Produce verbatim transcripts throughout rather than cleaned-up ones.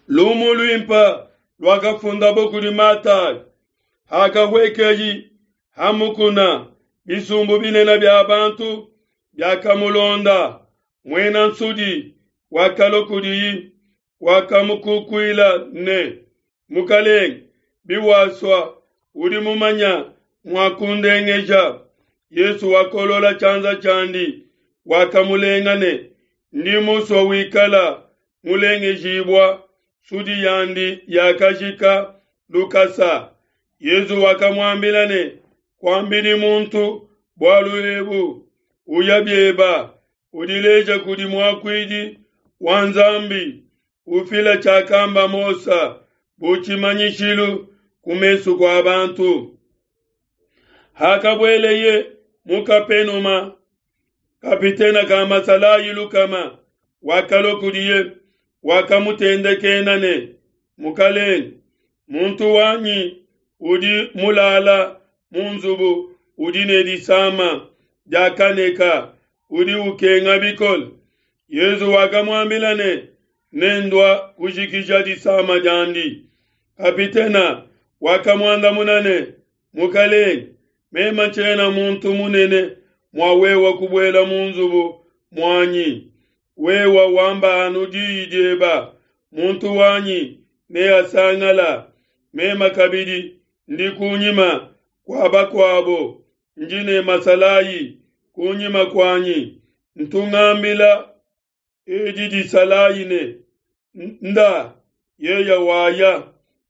Lumu luimpe luakafundabo kudi Matayo. Hakahuekeye ha mukuna, bisumbu binene bia bantu biakamulonda. Muena nsudi wakalua kudiye, wakamukukuila ne: Mukelenge, biwasua, udi mumanye mua kundengeja. Yesu wakolola tshianza tshiandi, wakamulenga ne: Ndi musue, wikala mulengejibue. Nsudi yandi yakajika lukasa. Yesu wakamuambila ne: Kuambidi muntu bualu ebu, uya bieba, udileje kudi muakuidi wa Nzambi, ufila tshiakamba Mose bu tshimanyishilu ku mesu kua bantu. Hakabueleye mu Kapenuma, kapitene ka masalayi lukama wakalua kudiye, wakamutendekena ne: Mukelenge, muntu wanyi udi mulala mu nzubu udi ne disama dia kaneka, udi ukenga bikole. Yesu wakamuambila ne: Nendua kujikija disama diandi. Kapitena wakamuandamuna ne: Mukelenge, meme tshiena muntu munene mua wewe kubuela mu nzubu muanyi. Wewe wamba anu diyi dieba, muntu wanyi neasangala. Meme kabidi ndi kunyima kua bakuabo, ndi ne masalayi kunyima kuanyi. Ntungambila edi disalayi ne: Nda, yeya waya.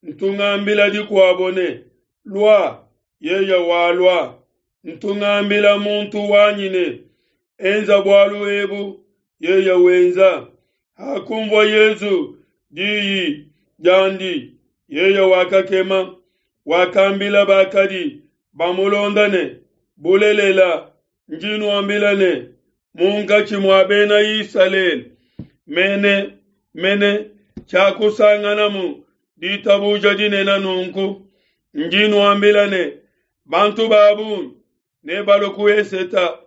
Ntungambila dikuabo ne: Lua, yeya walua. Ntungambila muntu wanyi ne: Enza bualu ebu, yeya wenza. Hakunvua Yesu diyi diandi, yeya wakakema, wakambila bakadi bamulonda ne: Bulelela, ndi nuambila ne, munkatshi mua bena Isalele mene mene tshiakusanganamu ditabuja dinene nunku. Ndi nuambila ne, bantu ba bungi nebalue ku eseta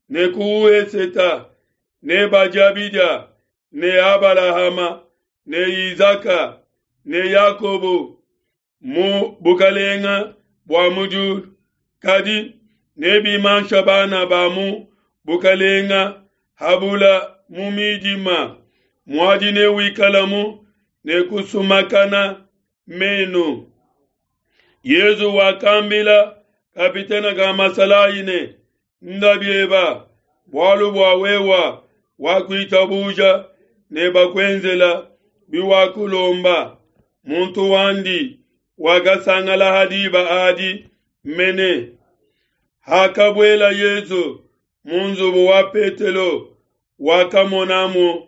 ne ku weseta, nebadia bidia ne Abalahama ne Izaka ne Yakobo mu bukalenga bua mu diulu, kadi nebimansha bana ba mu bukalenga habula mu midima. Muadi newikalamu ne kusumakana menu. Yesu wakambila kapitene ka masalayi ne: Nda bieba, bualu bua wewa wakuitabuja, ne bakuenzela biwakulomba. Muntu wandi wakasangala ha diba adi mene. Hakabuela Yesu mu nzubu wa Petelo, wakamonamu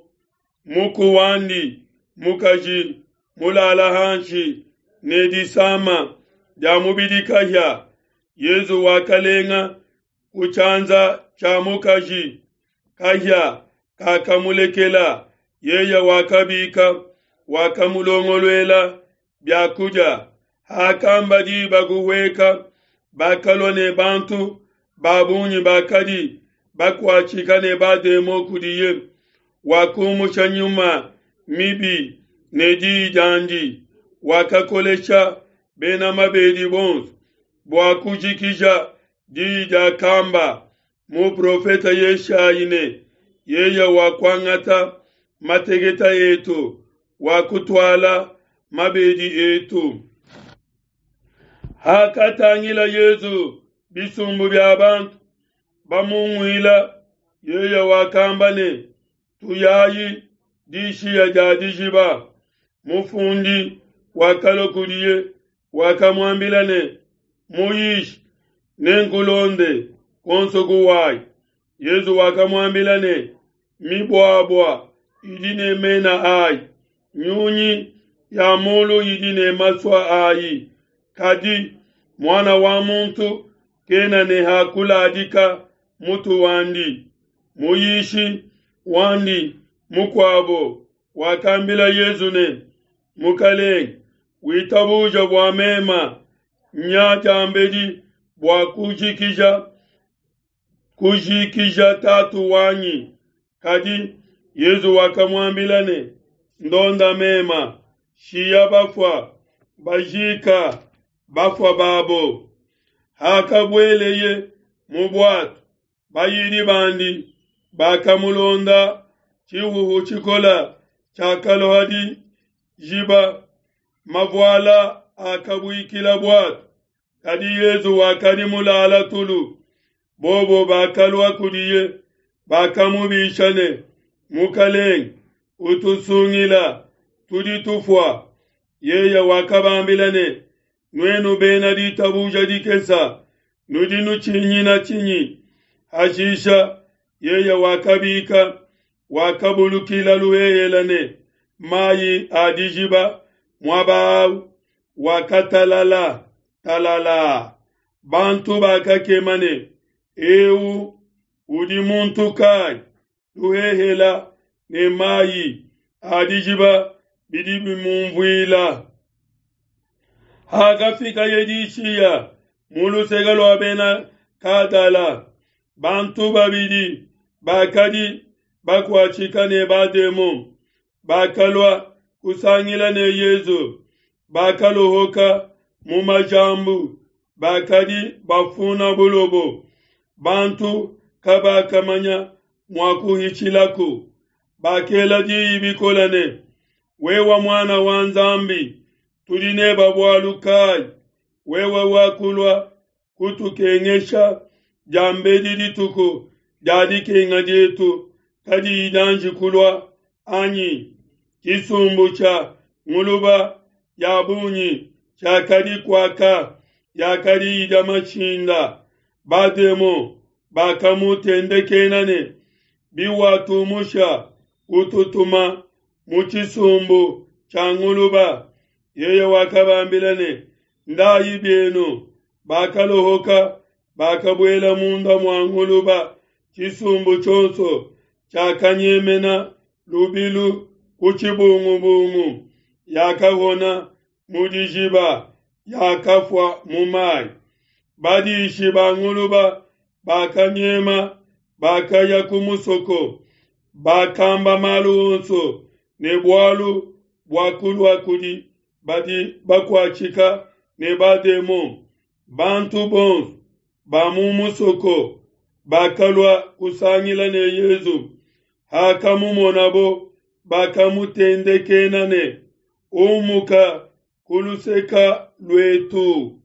muku wandi mukaji mulala hanshi ne disama dia mubidi kahia. Yesu wakalenga ku tshianza tshia mukaji, kahia kakamulekela. Yeye wakabika, wakamulongoluela biakudia. Hakamba diba kuhueka, bakalua ne bantu ba bungi bakadi bakuatshika ne bademon kudiye. Wakumusha nyuma mibi ne diyi diandi, wakakolesha bena mabedi bonso bua kujikija diyi diakamba muprofete Yeshayi ne: Yeye wakuangata mateketa etu, wakutuala mabedi etu. Hakatangila Yesu bisumbu bia bantu bamunguila, yeye wakamba ne: Tuyayi dishiya dia dijiba. Mufundi wakalua kudiye, wakamuambila ne: Muyishi, nenkulonde konso kuwayi. Yesu wakamuambila ne: Mibuabua idi ne mena ayi, nyunyi ya mulu idi ne masua ayi, kadi Muana wa muntu kena ne ha kuladika mutu wandi. Muyishi wandi mukuabo wakambila Yesu ne: Mukelenge, witabuja bua mema nya diambedi bua kujikija kujikija tatu wanyi. Kadi Yesu wakamuambila ne: Ndonda mema, Shiya bafua bajika bafua babo. Hakabueleye mu bwato, bayidi bandi bakamulonda. Tshihuhu tshikola tshiakalua dijiba, mavuala akabuikila bwato. Kadi Yesu wakadi mulala tulu. Bobo bakalua kudiye, bakamubisha ne, Mukalenge, utusungila, tudi tufua. Yeye wakabambila ne, Nuenu bena ditabuja dikesa, nudi nutshinyina tshinyi? Hashisha yeye wakabika, wakabulukila luhehele ne mayi a dijiba, muaba au wakatalala talala. Bantu bakakema ne, eu udi muntu kayi? Luhehela ne mayi a dijiba bidi bimumvuila. Hakafikaye dishiya mu luseke lua bena Gadala, bantu babidi bakadi bakuatshika ne bademon bakalua kusangila ne Yesu. Bakalohoka mu majambu, bakadi bafuna bulobo. Bantu kabakamanya mua kuhitshilaku. Bakela diyi bikole ne, Wewe muana wa Nzambi, tudi neba bualu kayi? Wewe wakulua kutukengesha diambedi dituku dia dikenga dietu kadiyi dianji kulua anyi? Tshisumbu tshia nguluba ya bungi tshiakadi kuaka, yakadi idia mashinda. Bademon bakamutendekena ne, Biwatumusha, ututuma mu tshisumbu tshia nguluba. Yeye wakabambila ne, Ndayi bienu. Bakalohoka, bakabuela munda mua nguluba. Tshisumbu tshionso tshiakanyemena lubilu ku tshibungubungu, yakahona mu dijiba, yakafua mu mayi. Badishi ba nguluba bakanyema, bakaya ku musoko, bakamba malu onso ne bualu buakulua kudi badi bakuatshika ne bademon. Bantu bonso ba mu musoko bakalua kusangila ne Yesu. Hakamumonabo, bakamutendekena ne, Umuka ku luseka luetu.